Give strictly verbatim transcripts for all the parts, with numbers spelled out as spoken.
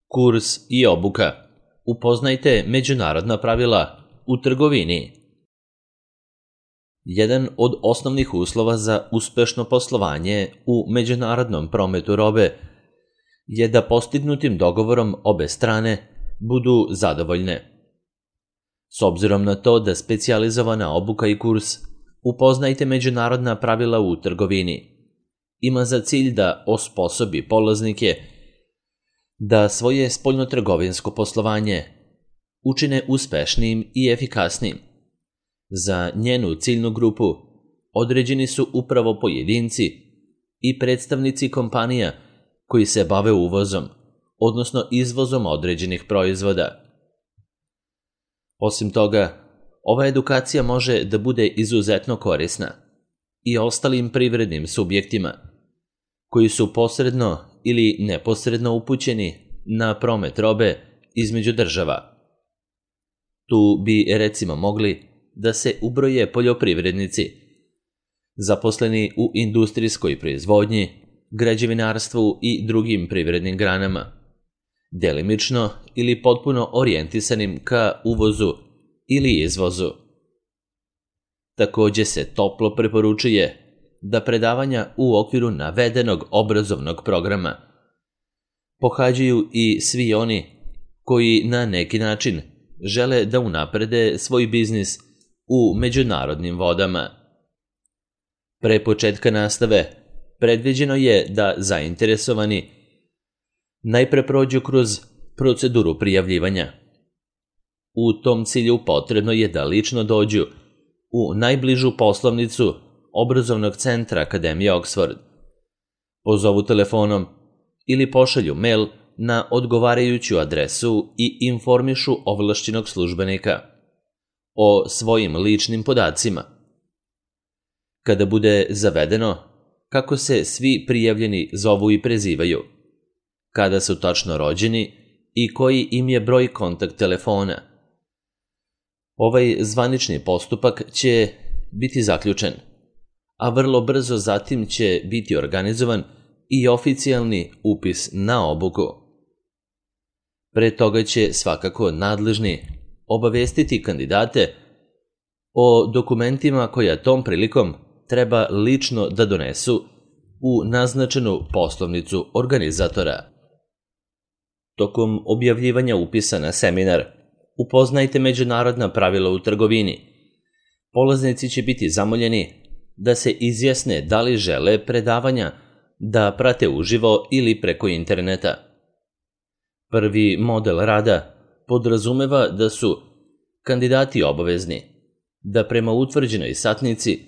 Kurs i obuka. Upoznajte međunarodna pravila u trgovini. Jedan od osnovnih uslova za uspešno poslovanje u međunarodnom prometu robe je da postignutim dogovorom obe strane budu zadovoljne. S obzirom na to da specijalizovana obuka i kurs Upoznajte međunarodna pravila u trgovini ima za cilj da osposobi polaznike da svoje spoljnotrgovinsko poslovanje učine uspešnijim i efikasnijim. Za njenu ciljnu grupu određeni su upravo pojedinci i predstavnici kompanija koji se bave uvozom, odnosno izvozom određenih proizvoda. Osim toga, ova edukacija može da bude izuzetno korisna i ostalim privrednim subjektima koji su posredno ili neposredno upućeni na promet robe između država. Tu bi recimo mogli da se ubroje poljoprivrednici, zaposleni u industrijskoj proizvodnji, građevinarstvu i drugim privrednim granama, delimično ili potpuno orijentisanim ka uvozu ili izvozu. Takođe se toplo preporučuje da predavanja u okviru navedenog obrazovnog programa pohađaju i svi oni koji na neki način žele da unaprede svoj biznis u međunarodnim vodama. Pre početka nastave predviđeno je da zainteresovani najpre prođu kroz proceduru prijavljivanja. U tom cilju potrebno je da lično dođu u najbližu poslovnicu obrazovnog centra Akademije Oxford, pozovu telefonom ili pošalju mail na odgovarajuću adresu i informišu ovlašćenog službenika o svojim ličnim podacima. Kada bude zavedeno kako se svi prijavljeni zovu i prezivaju, kada su tačno rođeni i koji im je broj kontakt telefona, ovaj zvanični postupak će biti zaključen, a vrlo brzo zatim će biti organizovan i oficijalni upis na obuku. Pre toga će svakako nadležni obavestiti kandidate o dokumentima koja tom prilikom treba lično da donesu u naznačenu poslovnicu organizatora. Tokom objavljivanja upisa na seminar Upoznajte međunarodna pravila u trgovini, polaznici će biti zamoljeni da se izjasne da li žele predavanja da prate uživo ili preko interneta. Prvi model rada podrazumeva da su kandidati obavezni da prema utvrđenoj satnici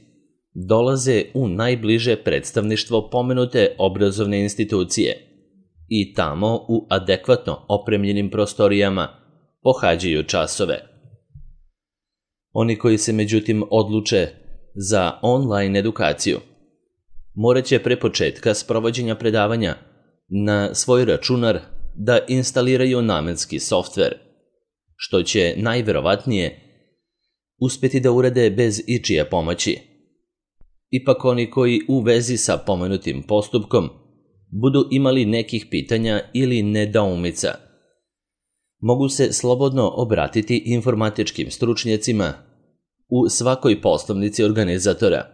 dolaze u najbliže predstavništvo pomenute obrazovne institucije i tamo u adekvatno opremljenim prostorijama pohađaju časove. Oni koji se međutim odluče za online edukaciju morat će pre početka sprovođenja predavanja na svoj računar da instaliraju namenski softver, što će najverovatnije uspeti da urade bez ičije pomoći. Ipak oni koji u vezi sa pomenutim postupkom budu imali nekih pitanja ili nedoumica, mogu se slobodno obratiti informatičkim stručnjacima u svakoj poslovnici organizatora,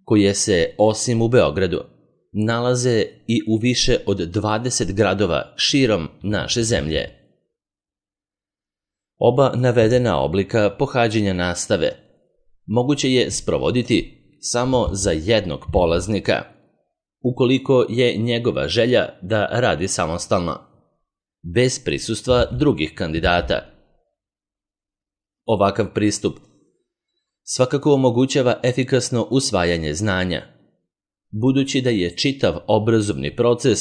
koje se, osim u Beogradu, nalaze i u više od dvadeset gradova širom naše zemlje. Oba navedena oblika pohađanja nastave moguće je sprovoditi samo za jednog polaznika, ukoliko je njegova želja da radi samostalno, bez prisustva drugih kandidata. Ovakav pristup svakako omogućava efikasno usvajanje znanja, budući da je čitav obrazovni proces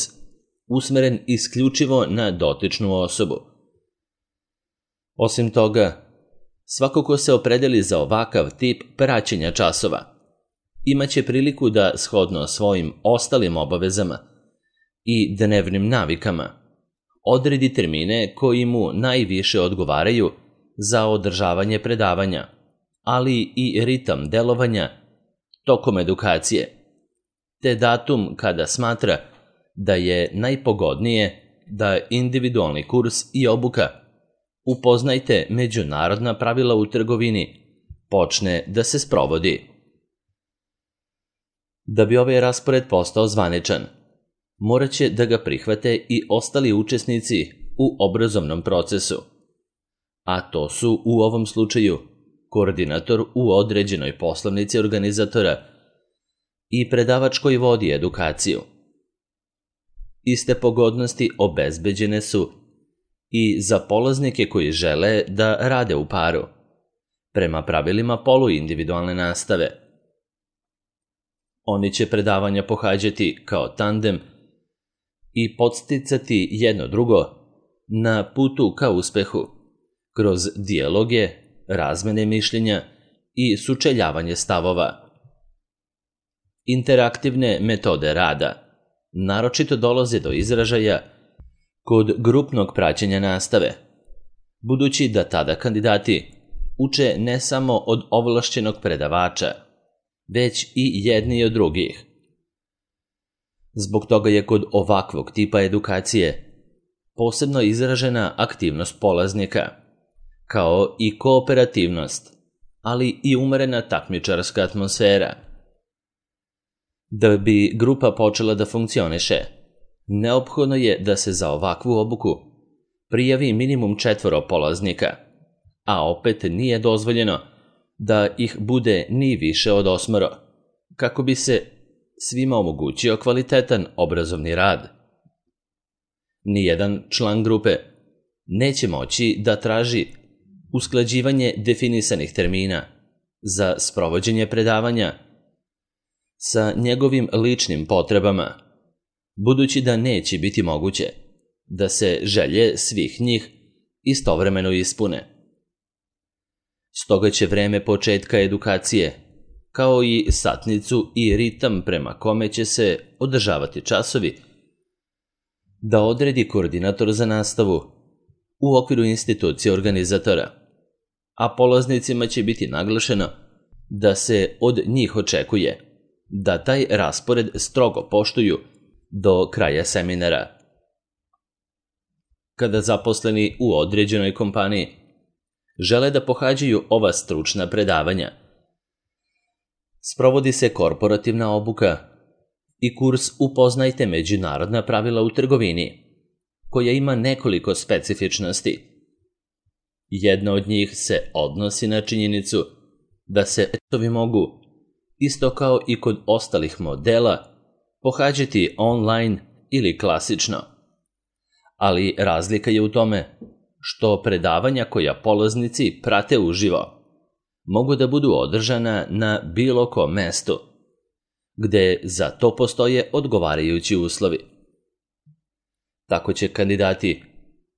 usmeren isključivo na dotičnu osobu. Osim toga, svako ko se opredeli za ovakav tip praćenja časova imaće priliku da shodno svojim ostalim obavezama i dnevnim navikama odredi termine koji mu najviše odgovaraju za održavanje predavanja, ali i ritam delovanja tokom edukacije, te datum kada smatra da je najpogodnije da individualni kurs i obuka Upoznajte međunarodna pravila u trgovini počne da se sprovodi. Da bi ovaj raspored postao zvaničan, morat će da ga prihvate i ostali učesnici u obrazovnom procesu, a to su u ovom slučaju koordinator u određenoj poslovnici organizatora i predavač koji vodi edukaciju. Iste pogodnosti obezbeđene su i za polaznike koji žele da rade u paru, prema pravilima poluindividualne nastave. Oni će predavanja pohađati kao tandem i podsticati jedno drugo na putu ka uspehu, kroz dijaloge, razmene mišljenja i sučeljavanje stavova. Interaktivne metode rada naročito dolaze do izražaja kod grupnog praćenja nastave, budući da tada kandidati uče ne samo od ovlašćenog predavača, već i jedni od drugih. Zbog toga je kod ovakvog tipa edukacije posebno izražena aktivnost polaznika, kao i kooperativnost, ali i umerena takmičarska atmosfera. Da bi grupa počela da funkcioniše, neophodno je da se za ovakvu obuku prijavi minimum četvoro polaznika, a opet nije dozvoljeno da ih bude ni više od osmoro, kako bi se svima omogućio kvalitetan obrazovni rad. Nijedan član grupe neće moći da traži usklađivanje definisanih termina za sprovođenje predavanja sa njegovim ličnim potrebama, budući da neće biti moguće da se želje svih njih istovremeno ispune. Stoga će vreme početka edukacije, kao i satnicu i ritam prema kome će se održavati časovi, da odredi koordinator za nastavu u okviru institucije organizatora, a polaznicima će biti naglašeno da se od njih očekuje da taj raspored strogo poštuju do kraja seminara. Kada zaposleni u određenoj kompaniji žele da pohađaju ova stručna predavanja, sprovodi se korporativna obuka i kurs Upoznajte međunarodna pravila u trgovini, koja ima nekoliko specifičnosti. Jedna od njih se odnosi na činjenicu da se testovi mogu, isto kao i kod ostalih modela, pohađati online ili klasično. Ali razlika je u tome što predavanja koja polaznici prate uživo mogu da budu održana na bilo kom mestu, gde za to postoje odgovarajući uslovi. Tako će kandidati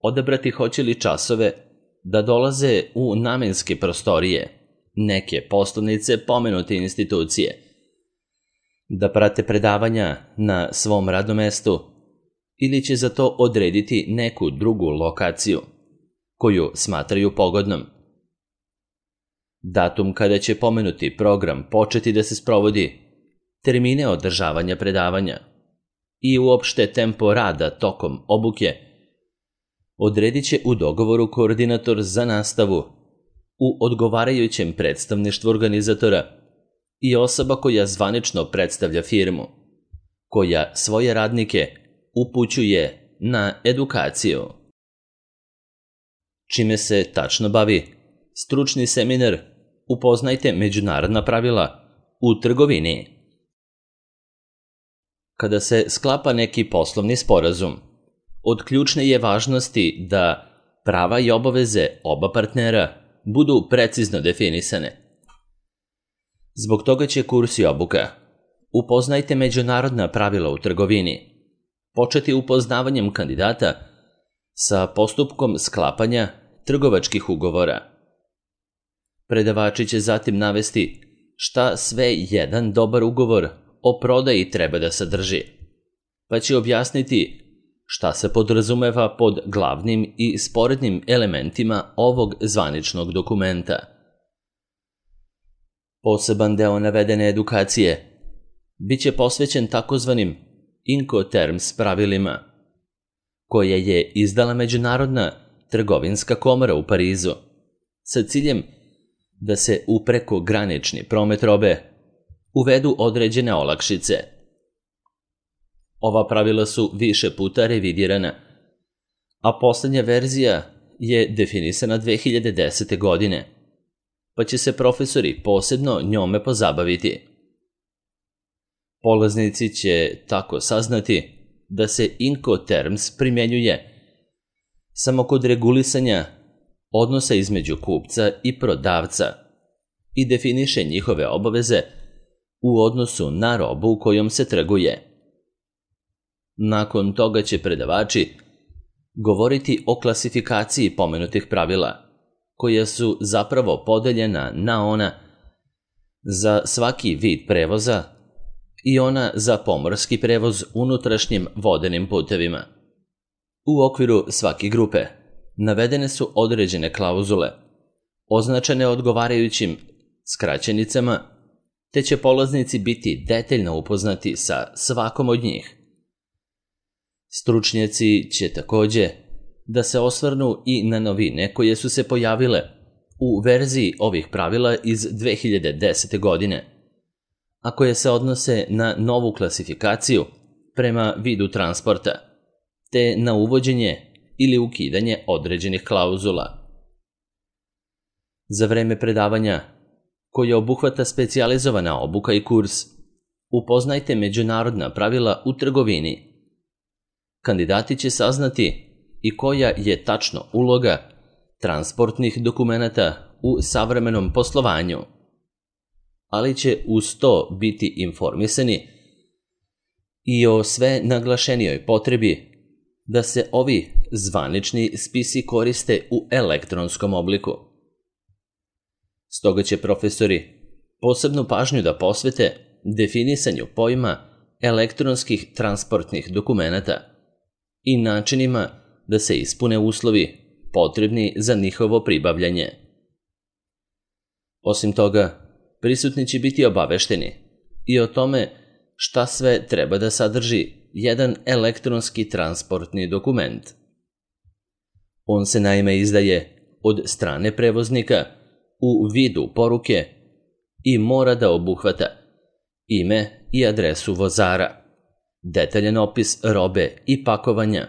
odabrati hoće li časove da dolaze u namenske prostorije neke poslovnice pomenute institucije, da prate predavanja na svom radnom mestu ili će za to odrediti neku drugu lokaciju koju smatraju pogodnom. Datum kada će pomenuti program početi da se sprovodi, termine održavanja predavanja i uopšte tempo rada tokom obuke odredit će u dogovoru koordinator za nastavu u odgovarajućem predstavništvu organizatora i osoba koja zvanično predstavlja firmu, koja svoje radnike upućuje na edukaciju. Čime se tačno bavi stručni seminar Upoznajte međunarodna pravila u trgovini. Kada se sklapa neki poslovni sporazum, od ključne je važnosti da prava i obaveze oba partnera budu precizno definisane. Zbog toga će kurs i obuka Upoznajte međunarodna pravila u trgovini početi upoznavanjem kandidata sa postupkom sklapanja trgovačkih ugovora. Predavači će zatim navesti šta sve jedan dobar ugovor o prodaji treba da sadrži, pa će objasniti šta se podrazumeva pod glavnim i sporednim elementima ovog zvaničnog dokumenta. Poseban deo navedene edukacije biće posvećen takozvanim Incoterms pravilima, koje je izdala Međunarodna trgovinska komora u Parizu sa ciljem da se u prekogranični promet robe uvedu određene olakšice. Ova pravila su više puta revidirana, a poslednja verzija je definisana dve hiljade desete. godine, pa će se profesori posebno njome pozabaviti. Polaznici će tako saznati da se Incoterms primenjuje samo kod regulisanja odnosa između kupca i prodavca i definiše njihove obaveze u odnosu na robu kojom se trguje. Nakon toga će predavači govoriti o klasifikaciji pomenutih pravila, koja su zapravo podeljena na ona za svaki vid prevoza i ona za pomorski prevoz unutrašnjim vodenim putevima. U okviru svake grupe navedene su određene klauzule, označene odgovarajućim skraćenicama, te će polaznici biti detaljno upoznati sa svakom od njih. Stručnjaci će takođe da se osvrnu i na novine koje su se pojavile u verziji ovih pravila iz dve hiljade desete. godine, a koje se odnose na novu klasifikaciju prema vidu transporta, te na uvođenje ili ukidanje određenih klauzula. Za vreme predavanja, koje obuhvata specijalizovana obuka i kurs, upoznajte međunarodna pravila u trgovini. Kandidati će saznati i koja je tačno uloga transportnih dokumenata u savremenom poslovanju, ali će uz to biti informisani i o sve naglašenijoj potrebi da se ovi zvanični spisi koriste u elektronskom obliku. Stoga će profesori posebnu pažnju da posvete definisanju pojma elektronskih transportnih dokumenata i načinima da se ispune uslovi potrebni za njihovo pribavljanje. Osim toga, prisutni će biti obavešteni i o tome šta sve treba da sadrži jedan elektronski transportni dokument. On se naime izdaje od strane prevoznika u vidu poruke i mora da obuhvata ime i adresu vozara, detaljan opis robe i pakovanja,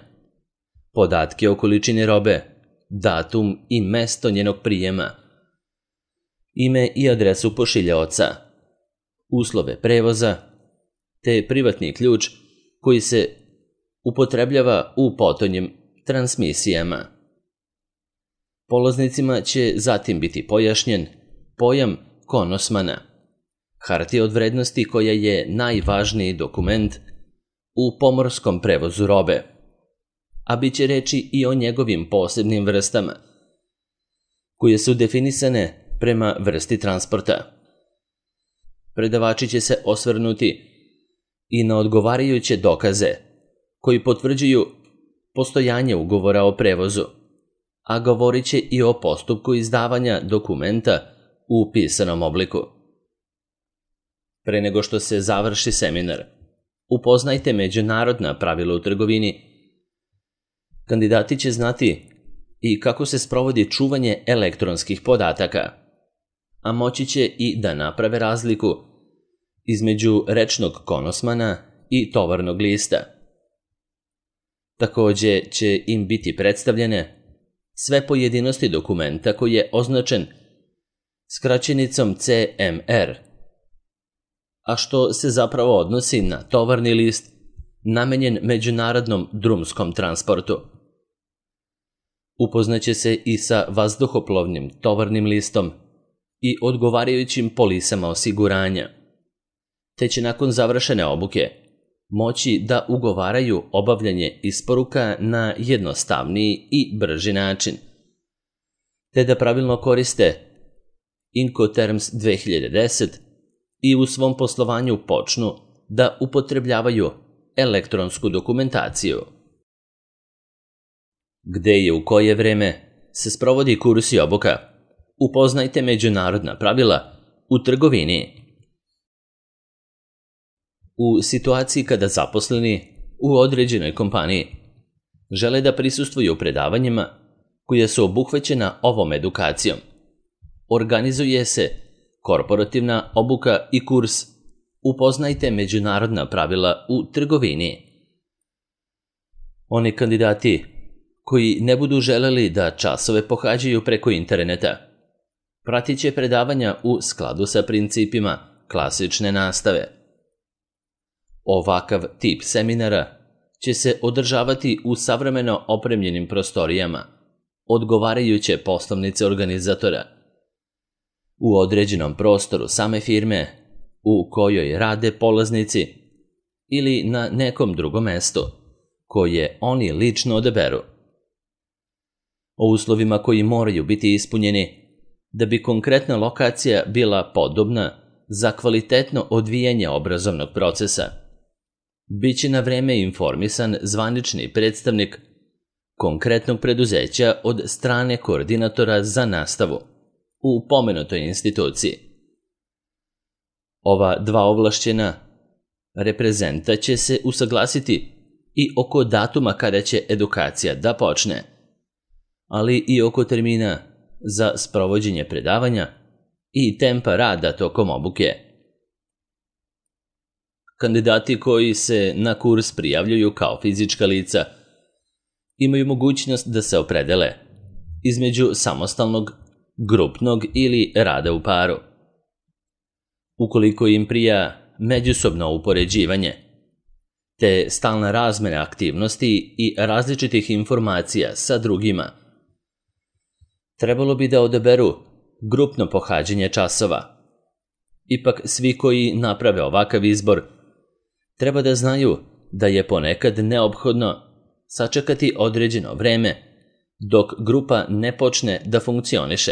podatke o količini robe, datum i mesto njenog prijema, ime i adresu pošiljaoca, uslove prevoza, te privatni ključ koji se upotrebljava u potonjim transmisijama. Polaznicima će zatim biti pojašnjen pojam konosmana, hartija od vrednosti koja je najvažniji dokument u pomorskom prevozu robe, a bit će reči i o njegovim posebnim vrstama, koje su definisane prema vrsti transporta. Predavači će se osvrnuti i na odgovarajuće dokaze koji potvrđuju postojanje ugovora o prevozu, a govorit će i o postupku izdavanja dokumenta u pisanom obliku. Pre nego što se završi seminar, upoznajte međunarodna pravila u trgovini. Kandidati će znati i kako se sprovodi čuvanje elektronskih podataka, a moći će i da naprave razliku između rečnog konosmana i tovarnog lista. Takođe će im biti predstavljene sve pojedinosti dokumenta koji je označen skraćenicom C M R, a što se zapravo odnosi na tovarni list namenjen međunarodnom drumskom transportu. Upoznaće se i sa vazduhoplovnim tovarnim listom i odgovarajućim polisama osiguranja, te će nakon završene obuke moći da ugovaraju obavljanje isporuka na jednostavniji i brži način, te da pravilno koriste Incoterms dve hiljade deset i u svom poslovanju počnu da upotrebljavaju elektronsku dokumentaciju. Gde i u koje vreme se sprovodi kurs i obuka, upoznajte međunarodna pravila u trgovini. U situaciji kada zaposleni u određenoj kompaniji žele da prisustvuju predavanjima koja su obuhvaćena ovom edukacijom. Organizuje se korporativna obuka i kurs Upoznajte međunarodna pravila u trgovini. Oni kandidati koji ne budu želeli da časove pohađaju preko interneta, pratit će predavanja u skladu sa principima klasične nastave. Ovakav tip seminara će se održavati u savremeno opremljenim prostorijama, odgovarajuće poslovnice organizatora, u određenom prostoru same firme u kojoj rade polaznici ili na nekom drugom mestu koje oni lično odaberu. O uslovima koji moraju biti ispunjeni da bi konkretna lokacija bila podobna za kvalitetno odvijanje obrazovnog procesa, biće na vreme informisan zvanični predstavnik konkretnog preduzeća od strane koordinatora za nastavu u pomenutoj instituciji. Ova dva ovlašćena reprezenta će se usaglasiti i oko datuma kada će edukacija da počne, ali i oko termina za sprovođenje predavanja i tempa rada tokom obuke. Kandidati koji se na kurs prijavljuju kao fizička lica imaju mogućnost da se opredele između samostalnog, grupnog ili rada u paru. Ukoliko im prija međusobno upoređivanje, te stalna razmena aktivnosti i različitih informacija sa drugima, trebalo bi da odaberu grupno pohađanje časova. Ipak svi koji naprave ovakav izbor treba da znaju da je ponekad neophodno sačekati određeno vreme dok grupa ne počne da funkcioniše,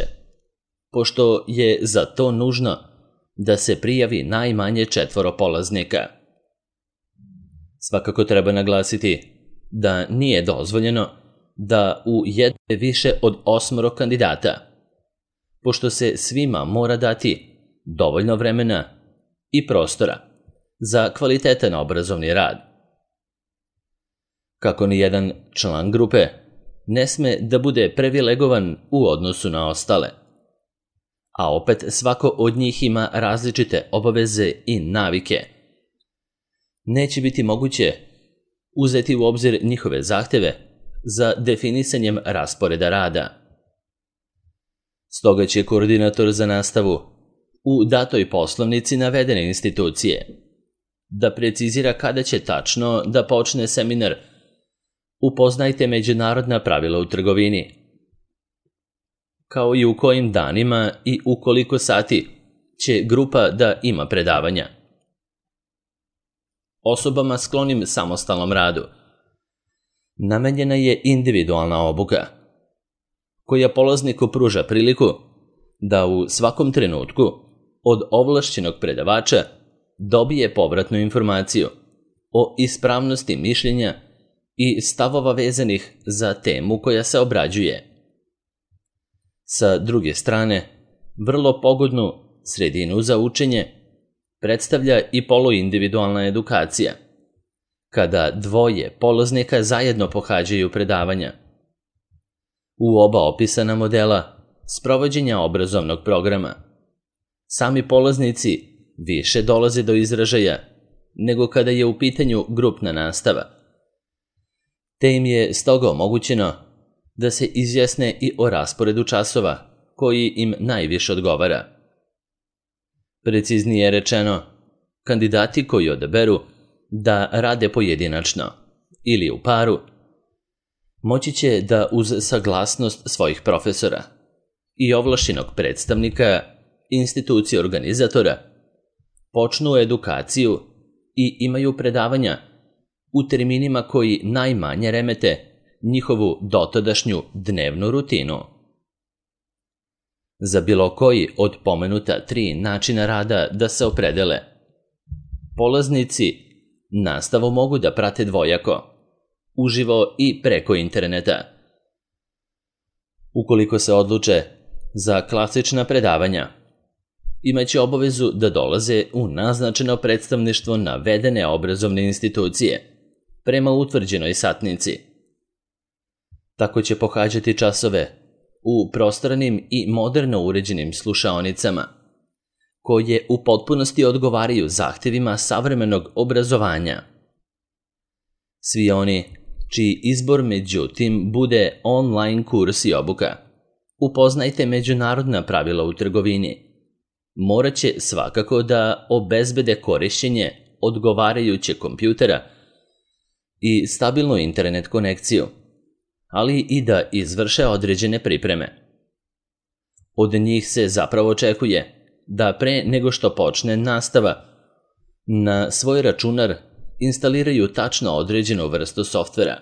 pošto je za to nužno da se prijavi najmanje četvoro polaznika. Svakako treba naglasiti da nije dozvoljeno da u jedne više od osmoro kandidata, pošto se svima mora dati dovoljno vremena i prostora za kvalitetan obrazovni rad. Kako ni jedan član grupe ne sme da bude privilegovan u odnosu na ostale, a opet svako od njih ima različite obaveze i navike, neće biti moguće uzeti u obzir njihove zahteve za definisanjem rasporeda rada. Stoga će koordinator za nastavu u datoj poslovnici navedene institucije da precizira kada će tačno da počne seminar Upoznajte međunarodna pravila u trgovini, kao i u kojim danima i u koliko sati će grupa da ima predavanja. Osobama sklonim samostalnom radu namenjena je individualna obuka, koja polazniku pruža priliku da u svakom trenutku od ovlašćenog predavača dobije povratnu informaciju o ispravnosti mišljenja i stavova vezanih za temu koja se obrađuje. Sa druge strane, vrlo pogodnu sredinu za učenje predstavlja i poluindividualna edukacija, kada dvoje polaznika zajedno pohađaju predavanja. U oba opisana modela sprovođenja obrazovnog programa, sami polaznici više dolaze do izražaja nego kada je u pitanju grupna nastava, te im je stoga omogućeno da se izjasne i o rasporedu časova koji im najviše odgovara. Preciznije rečeno, kandidati koji odaberu da rade pojedinačno ili u paru, moći će da uz saglasnost svojih profesora i ovlašćenog predstavnika institucije organizatora počnu edukaciju i imaju predavanja u terminima koji najmanje remete njihovu dotadašnju dnevnu rutinu. Za bilo koji od pomenuta tri načina rada da se opredele, polaznici nastavu mogu da prate dvojako, uživo i preko interneta. Ukoliko se odluče za klasična predavanja, imaće obavezu da dolaze u naznačeno predstavništvo navedene obrazovne institucije prema utvrđenoj satnici, Tako će pohađati časove u prostornim i moderno uređenim slušaonicama, koje u potpunosti odgovaraju zahtjevima savremenog obrazovanja. Svi oni čiji izbor međutim bude online kurs i obuka, upoznajte međunarodna pravila u trgovini, morat će svakako da obezbede korišćenje odgovarajućeg kompjutera i stabilnu internet konekciju, ali i da izvrše određene pripreme. Od njih se zapravo očekuje da pre nego što počne nastava, na svoj računar instaliraju tačno određenu vrstu softvera.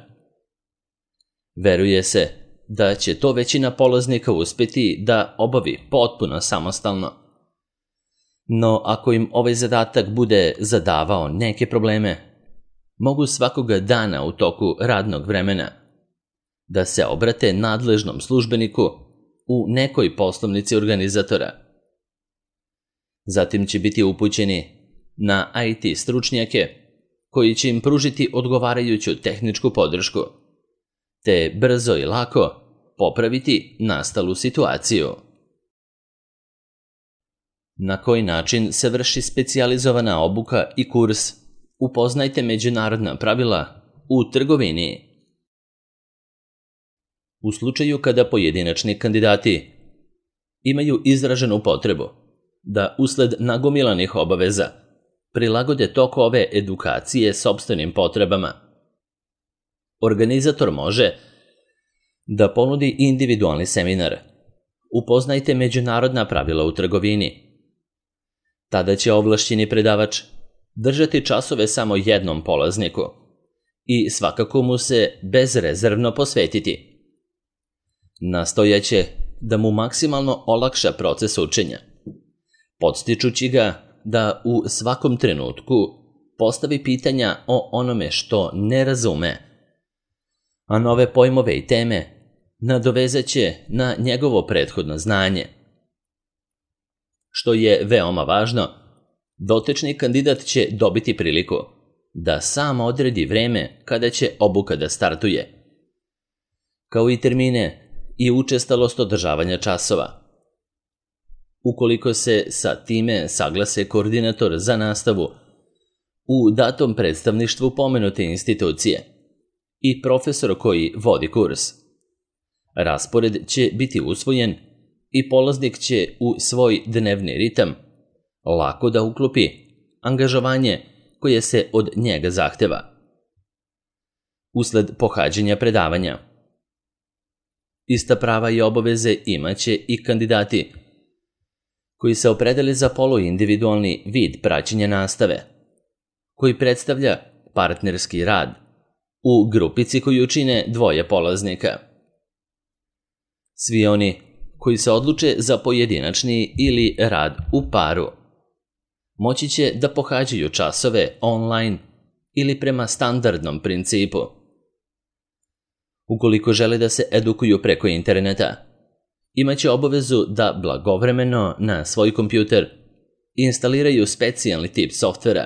Veruje se da će to većina polaznika uspjeti da obavi potpuno samostalno. No ako im ovaj zadatak bude zadavao neke probleme, mogu svakoga dana u toku radnog vremena da se obrate nadležnom službeniku u nekoj poslovnici organizatora. Zatim će biti upućeni na I T stručnjake koji će im pružiti odgovarajuću tehničku podršku, te brzo i lako popraviti nastalu situaciju. Na koji način se vrši specijalizovana obuka i kurs? Upoznajte međunarodna pravila u trgovini. U slučaju kada pojedinačni kandidati imaju izraženu potrebu da usled nagomilanih obaveza prilagode tok ove edukacije sopstvenim potrebama, organizator može da ponudi individualni seminar. Upoznajte međunarodna pravila u trgovini. Tada će ovlašćeni predavač držati časove samo jednom polazniku i svakako mu se bezrezervno posvetiti. Nastojaće da mu maksimalno olakša proces učenja, podstičući ga da u svakom trenutku postavi pitanja o onome što ne razume, a nove pojmove i teme nadovezat će na njegovo prethodno znanje. Što je veoma važno, dotični kandidat će dobiti priliku da sam odredi vreme kada će obuka da startuje, kao i termine i učestalost održavanja časova. Ukoliko se sa time saglase koordinator za nastavu u datom predstavništvu pomenute institucije i profesor koji vodi kurs, raspored će biti usvojen i polaznik će u svoj dnevni ritam lako da uklopi angažovanje koje se od njega zahteva. Usled pohađanja predavanja, ista prava i obaveze imaće i kandidati koji se opredeli za poluindividualni vid praćenja nastave, koji predstavlja partnerski rad u grupici koju čine dvoje polaznika. Svi oni koji se odluče za pojedinačni ili rad u paru moći će da pohađaju časove online ili prema standardnom principu. Ukoliko žele da se edukuju preko interneta, imaće obavezu da blagovremeno na svoj kompjuter instaliraju specijalni tip softvera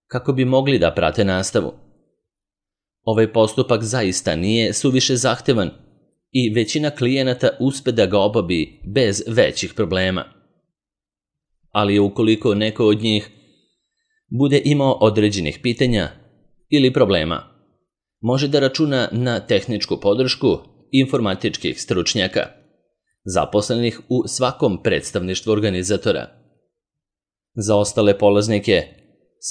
kako bi mogli da prate nastavu. Ovaj postupak zaista nije suviše zahtevan i većina klijenata uspe da ga obavi bez većih problema. Ali ukoliko neko od njih bude imao određenih pitanja ili problema, može da računa na tehničku podršku informatičkih stručnjaka, zaposlenih u svakom predstavništvu organizatora. Za ostale polaznike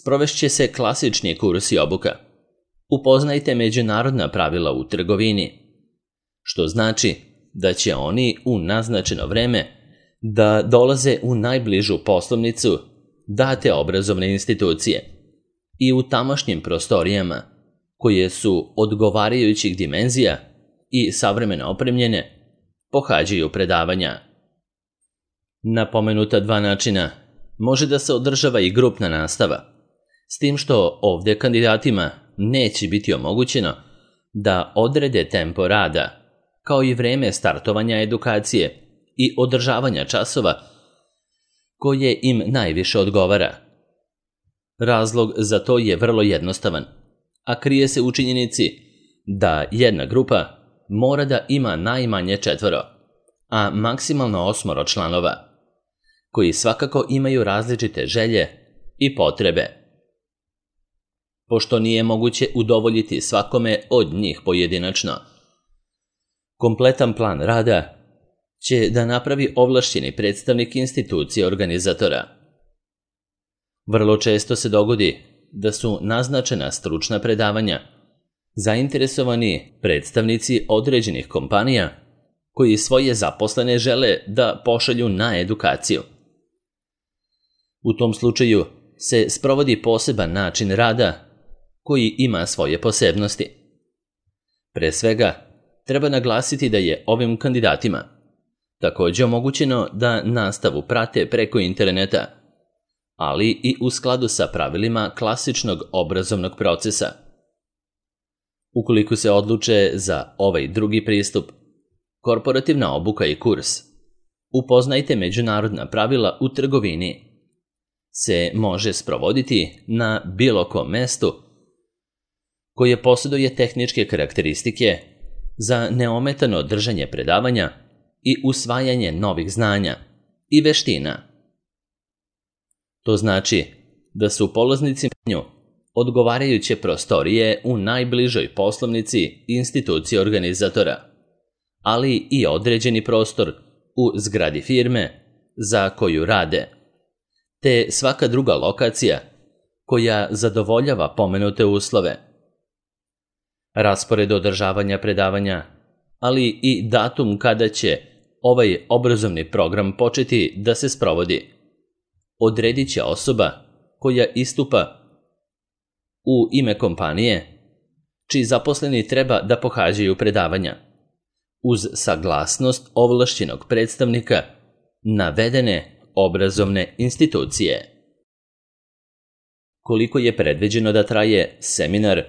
sprovešće se klasični kurs i obuka. Upoznajte međunarodna pravila u trgovini, što znači da će oni u naznačeno vreme da dolaze u najbližu poslovnicu date obrazovne institucije i u tamošnjim prostorijama, koje su odgovarajućih dimenzija i savremeno opremljene, pohađaju predavanja. Na pomenuta dva načina može da se održava i grupna nastava, s tim što ovdje kandidatima neće biti omogućeno da odrede tempo rada, kao i vreme startovanja edukacije i održavanja časova koje im najviše odgovara. Razlog za to je vrlo jednostavan, a krije se u činjenici da jedna grupa mora da ima najmanje četvoro, a maksimalno osmoro članova, koji svakako imaju različite želje i potrebe. Pošto nije moguće udovoljiti svakome od njih pojedinačno, kompletan plan rada će da napravi ovlašćeni predstavnik institucije organizatora. Vrlo često se dogodi da su naznačena stručna predavanja zainteresovani predstavnici određenih kompanija koji svoje zaposlene žele da pošalju na edukaciju. U tom slučaju se sprovodi poseban način rada koji ima svoje posebnosti. Pre svega, treba naglasiti da je ovim kandidatima također omogućeno da nastavu prate preko interneta, ali i u skladu sa pravilima klasičnog obrazovnog procesa. Ukoliko se odluče za ovaj drugi pristup, korporativna obuka i kurs, upoznajte međunarodna pravila u trgovini, se može sprovoditi na bilo kom mestu koje posjeduje tehničke karakteristike za neometano držanje predavanja i usvajanje novih znanja i veština. To znači da su polaznici nju odgovarajuće prostorije u najbližoj poslovnici institucije organizatora, ali i određeni prostor u zgradi firme za koju rade, te svaka druga lokacija koja zadovoljava pomenute uslove. Raspored održavanja predavanja, ali i datum kada će ovaj obrazovni program početi da se sprovodi, odredit će osoba koja istupa u ime kompanije, čiji zaposleni treba da pohađaju predavanja, uz saglasnost ovlašćenog predstavnika navedene obrazovne institucije. Koliko je predviđeno da traje seminar,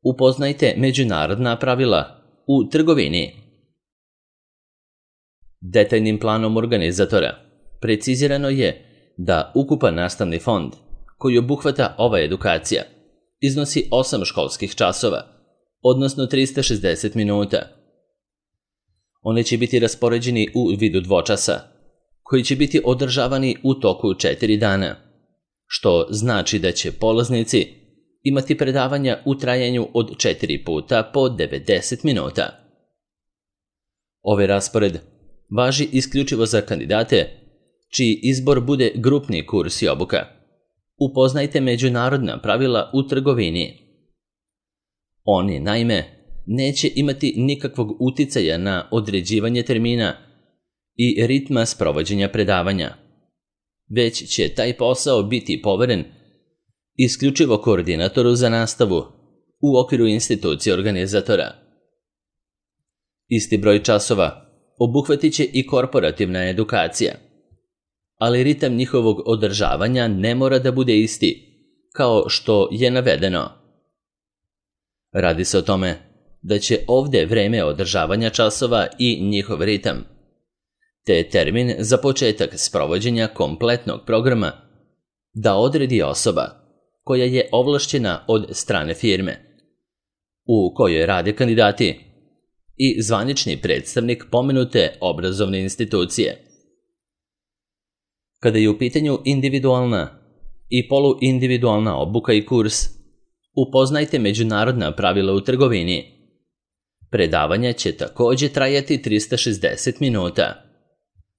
upoznajte međunarodna pravila u trgovini. Detaljnim planom organizatora precizirano je da ukupan nastavni fond koji obuhvata ova edukacija iznosi osam školskih časova, odnosno trista šezdeset minuta. One će biti raspoređeni u vidu dvočasa, koji će biti održavani u toku četiri dana, što znači da će polaznici imati predavanja u trajanju od četiri puta po devedeset minuta. Ovaj raspored važi isključivo za kandidate čiji izbor bude grupni kurs i obuka. Upoznajte međunarodna pravila u trgovini. Oni, naime, neće imati nikakvog uticaja na određivanje termina i ritma sprovođenja predavanja, već će taj posao biti poveren isključivo koordinatoru za nastavu u okviru institucije organizatora. Isti broj časova obuhvatit će i korporativna edukacija, ali ritam njihovog održavanja ne mora da bude isti, kao što je navedeno. Radi se o tome da će ovdje vreme održavanja časova i njihov ritam, te termin za početak sprovođenja kompletnog programa da odredi osoba koja je ovlašćena od strane firme u kojoj rade kandidati i zvanični predstavnik pomenute obrazovne institucije. Kada je u pitanju individualna i poluindividualna obuka i kurs, upoznajte međunarodna pravila u trgovini. Predavanja će također trajati trista šezdeset minuta,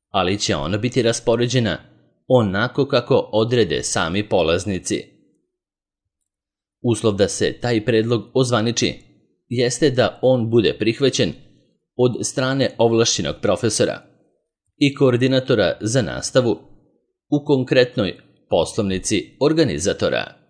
ali će ona biti raspoređena onako kako odrede sami polaznici. Uslov da se taj predlog ozvaniči jeste da on bude prihvaćen od strane ovlašćenog profesora i koordinatora za nastavu u konkretnoj poslovnici organizatora.